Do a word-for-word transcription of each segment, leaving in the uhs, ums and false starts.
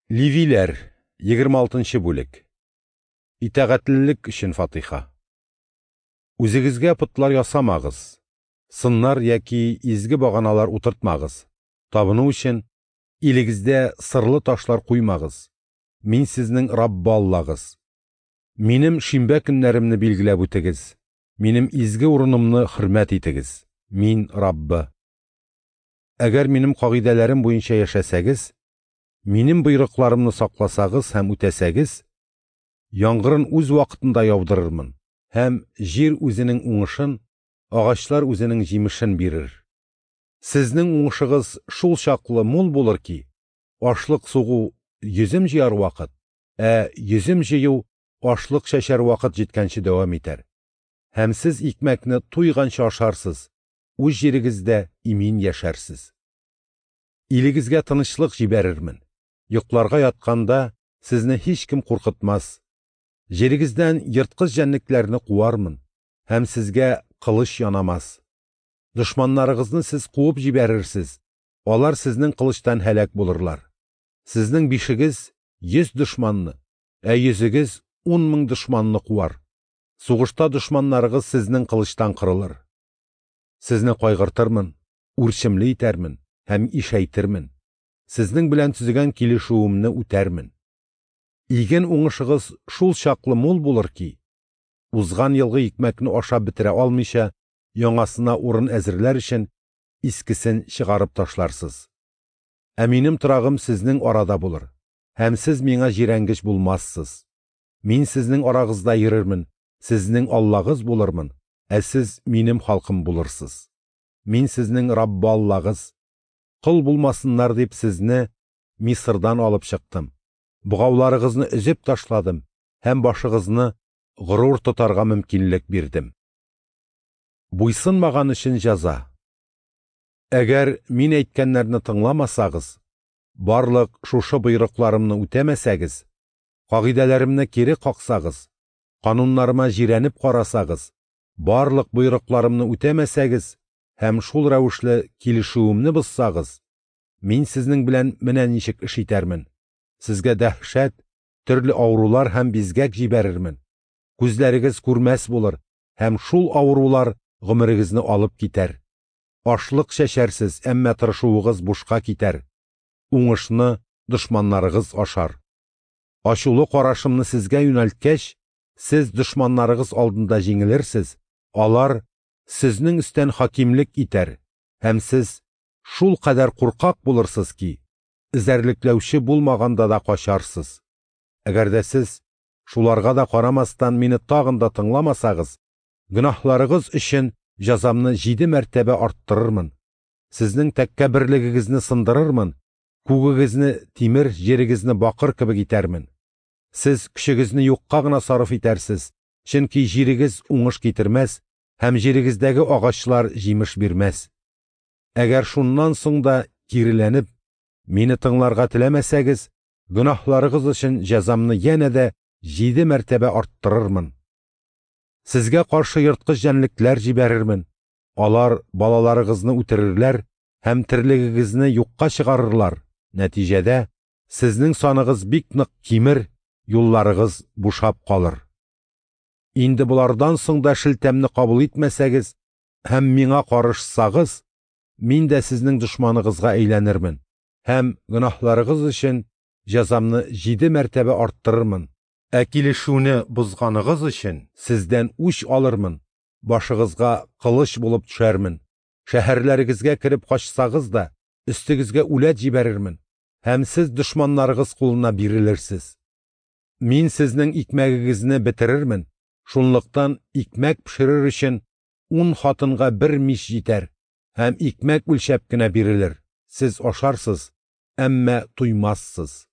Левиләр, егерме алтынчы бүлек. Итагатьлелек өчен фатиха. Үзегезгә потлар ясамагыз, сыннар яки изге баганалар утыртмагыз. Табыну өчен илегездә сырлы ташлар куймагыз. Мин сезнең Раббы Аллагыз. Минем шимбә көннәремне билгеләп үтегез. Минем изге урынымны хөрмәт итегез. Мин Раббы. Әгәр минем кагыйдәләрем буенча яшәсәгез, минем боерыкларымны сакласагыз һәм үтәсәгез, яңгырын үз вакытында яудырырмын, һәм җир үзенең уңышын, агачлар үзенең җимешен бирер. Сезнең уңышыгыз шул чаклы мул булыр ки, ашлык сугу йөзем җыяр вакыт, ә йөзем җыю ашлык чәчәр вакыт җиткәнче дәвам итәр. Һәм сез икмәкне туйганчы ашарсыз, үз җирегездә имин яшәрсез. Илегезгә тынычлык җибәрермен. Йокларга ятканда сезне һичкем куркытмас. Җирегездән ерткыч җәнлекләрне куармын, һәм сезгә кылыч янамас. Дошманнарыгызны сез куып җибәрерсез, алар сезнең кылычтан һәлак булырлар. Сезнең бишегез йөз дошманны, ә йөзегез ун мең дошманны куар. Сугышта дошманнарыгыз сезнең кылычтан кырылыр. Сезне кайгыртырмын, үрчемле итәрмен һәм ишәйтермен. Сезнең белән төзегән килешүемне үтәрмен. Иген уңышыгыз шул чаклы мул булыр ки, узган елгы икмәкне ашап бетерә алмыйча, яңасына урын әзерләр өчен искесен чыгарып ташларсыз. Ә минем торагым сезнең арада булыр, һәм сез миңа җирәнгеч булмассыз. Мин сезнең арагызда йөрермен, сезнең Аллагыз булырмын, ә сез минем халкым булырсыз. Мин сезнең Раббы Аллагыз. Кол булмасыннар дип сезне Мисырдан алып чыктым. Богауларыгызны өзеп ташладым һәм башыгызны горур тотарга мөмкинлек бирдем. Буйсынмаган өчен җәза. Әгәр мин әйткәннәрне тыңламасагыз, барлык шушы боерыкларымны үтәмәсәгез, кагыйдәләремне кире каксагыз, кануннарыма җирәнеп карасагыз, барлык боерыкларымны үтәмәсәгез һәм шул рәвешле килешүемне бозсагыз, мин сезнең белән менә ничек эш итәрмен. Сезгә дәһшәт, төрле авырулар һәм бизгәк җибәрермен. Күзләрегез күрмәс булыр, һәм шул авырулар гомерегезне алып китәр. Ашлык чәчәрсез, әмма тырышуыгыз бушка китәр. Уңышны дошманнарыгыз ашар. Ачулы карашымны сезгә юнәлткәч, сез дошманнарыгыз алдында җиңелерсез, алар сезнең өстән хакимлек итәр, һәм сез шул кадәр куркак булырсыз ки, эзәрлекләүче булмаганда да качарсыз. Әгәр дә сез шуларга да карамастан мине тагын да тыңламасагыз, гөнаһларыгыз өчен җәзамны җиде мәртәбә арттырырмын. Сезнең тәкәбберлегегезне сындырырмын, күгегезне тимер, җирегезне бакыр кебек итәрмен. Сез көчегезне юкка гына сарыф итәрсез, чөнки җирегез уңыш китермәс һәм җирегездәге агачлар җимеш бирмәс. Әгәр шуннан соң да киреләнеп, мине тыңларга теләмәсәгез, гөнаһларыгыз өчен җәзамны янә дә җиде мәртәбә арттырырмын. Сезгә каршы ерткыч җәнлекләр җибәрермен. Алар балаларыгызны үтерерләр һәм терлегегезне юкка чыгарырлар. Нәтиҗәдә сезнең саныгыз бик нык кимер, юлларыгыз бушап калыр. Инде болардан соң да шелтәмне кабул итмәсәгез һәм миңа карышсагыз, мин дә сезнең дошманыгызга әйләнермен һәм гөнаһларыгыз өчен җәзамны җиде мәртәбә арттырырмын. Ә килешүне бозганыгыз өчен сездән үч алырмын, башыгызга кылыч булып төшәрмен. Шәһәрләрегезгә кереп качсагыз да, өстегезгә үләт җибәрермен, һәм сез дошманнарыгыз кулына бирелерсез. Мин сезнең икмәгегезне бетерермен, шунлыктан икмәк пешерер өчен ун хатынга бер мич җитәр, һәм икмәк үлчәп кенә бирелер. Сез ашарсыз, әмма туймассыз.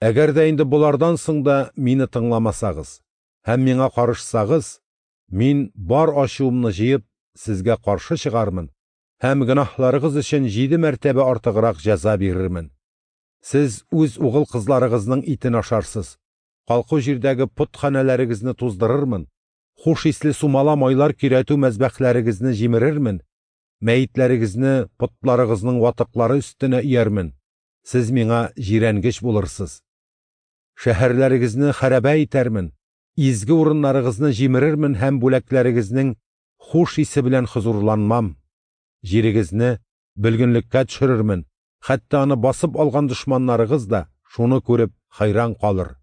Әгәр дә инде болардан соң да мине тыңламасагыз һәм миңа карышсагыз, мин бар ачуымны җыеп сезгә каршы чыгармын һәм гөнаһларыгыз өчен җиде мәртәбә артыграк җәза бирермен. Сез үз угыл кызларыгызның итен ашарсыз, калку җирдәге потханәләрегезне туздырырмын, хуш исле сумала майлар көйрәтү мәзбәхләрегезне җимерермен, мәетләрегезне потларыгызның ватыклары өстенә өярмен. Сез миңа җирәнгеч булырсыз. Шәһәрләрегезне хәрабә итәрмен, изге урыннарыгызны җимерермен һәм бүләкләрегезнең хуш исе белән хозурланмам. Җирегезне бөлгенлеккә төшерермен, хәтта аны басып алган дошманнарыгыз да шуны күреп хайран калыр.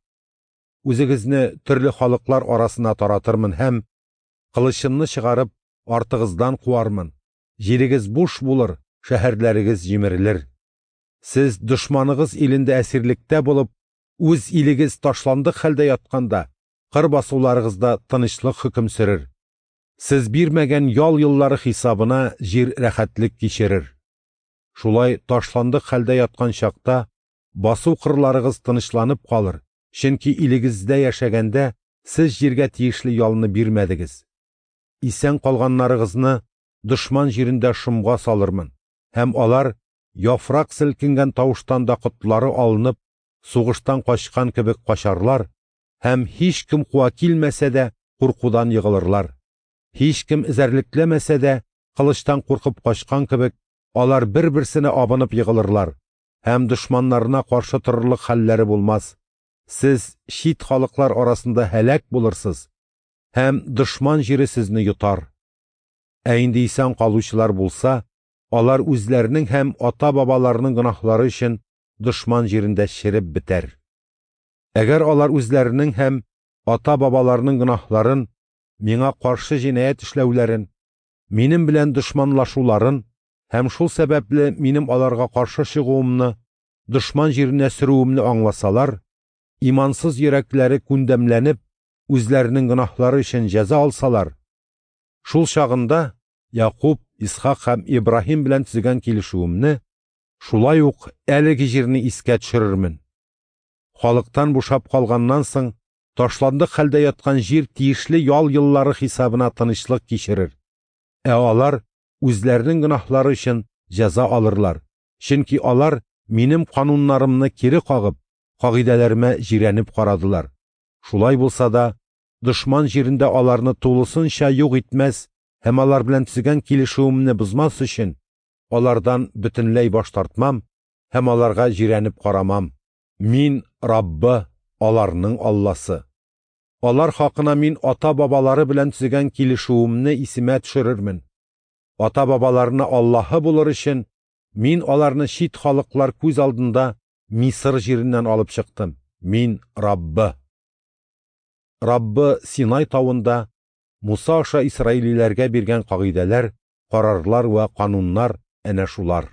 Үзегезне төрле халыклар арасына таратырмын һәм кылычымны чыгарып артыгыздан куармын. Җирегез буш булыр, шәһәрләрегез җимерелер. Сез дошманыгыз илендә әсирлектә булып, үз илегез ташландык хәлдә ятканда, кыр басуларыгызда тынычлык хөкем сөрер. Сез бирмәгән ял еллары хисабына җир рәхәтлек кичерер. Шулай ташландык хәлдә яткан чакта басу кырларыгыз тынычланып калыр, чөнки илегездә яшәгәндә сез җиргә тиешле ялны бирмәдегез. Исән калганнарыгызны дошман җирендә шомга салырмын, һәм алар яфрак селкенгән тавыштан да котлары алынып, сугыштан качкан кебек качарлар, һәм һич кем куа килмәсә дә куркудан егылырлар. Һич кем эзәрлекләмәсә дә кылычтан куркып качкан кебек, алар бер-берсенә абынып егылырлар, һәм дошманнарына каршы торырлык хәлләре булмас. Сез чит халыклар арасында һәлак булырсыз, һәм дошман җире сезне йотар. Ә инде исән калучылар булса, алар үзләренең һәм ата-бабаларының гөнаһлары өчен дошман җирендә череп бетәр. Әгәр алар үзләренең һәм ата-бабаларының гөнаһларын, миңа каршы җинаять эшләүләрен, минем белән дошманлашуларын һәм шул сәбәпле минем аларга каршы чыгуымны, дошман җиренә сөрүемне аңласалар, имансыз йөрәкләре күндәмләнеп, үзләренең гөнаһлары өчен җәза алсалар, шул чагында Якуб, Исхак һәм Ибраһим белән төзегән килешүемне, шулай ук әлеге җирне искә төшерермен. Халыктан бушап калганнан соң, ташландык хәлдә яткан җир тиешле ял еллары хисабына тынычлык кичерер. Ә алар үзләренең гөнаһлары өчен җәза алырлар, чөнки алар минем кануннарымны кире кагып, кагыйдәләремә җирәнеп карадылар. Шулай булса да, дошман җирендә аларны тулысынча юк итмәс һәм алар белән төзегән килешүемне бозмас өчен, алардан бөтенләй баш тартмам һәм аларга җирәнеп карамам. Мин Раббы, аларның Алласы. Алар хакына мин ата-бабалары белән төзегән килешүемне исемә төшерермен. Ата-бабаларына Аллаһы булыр өчен мин аларны чит халыклар күз алдында Мисыр җиреннән алып чыктым. Мин Раббы. Раббы Синай тавында Муса аша исраилиләргә биргән кагыйдәләр, карарлар вә кануннар әнә шулар.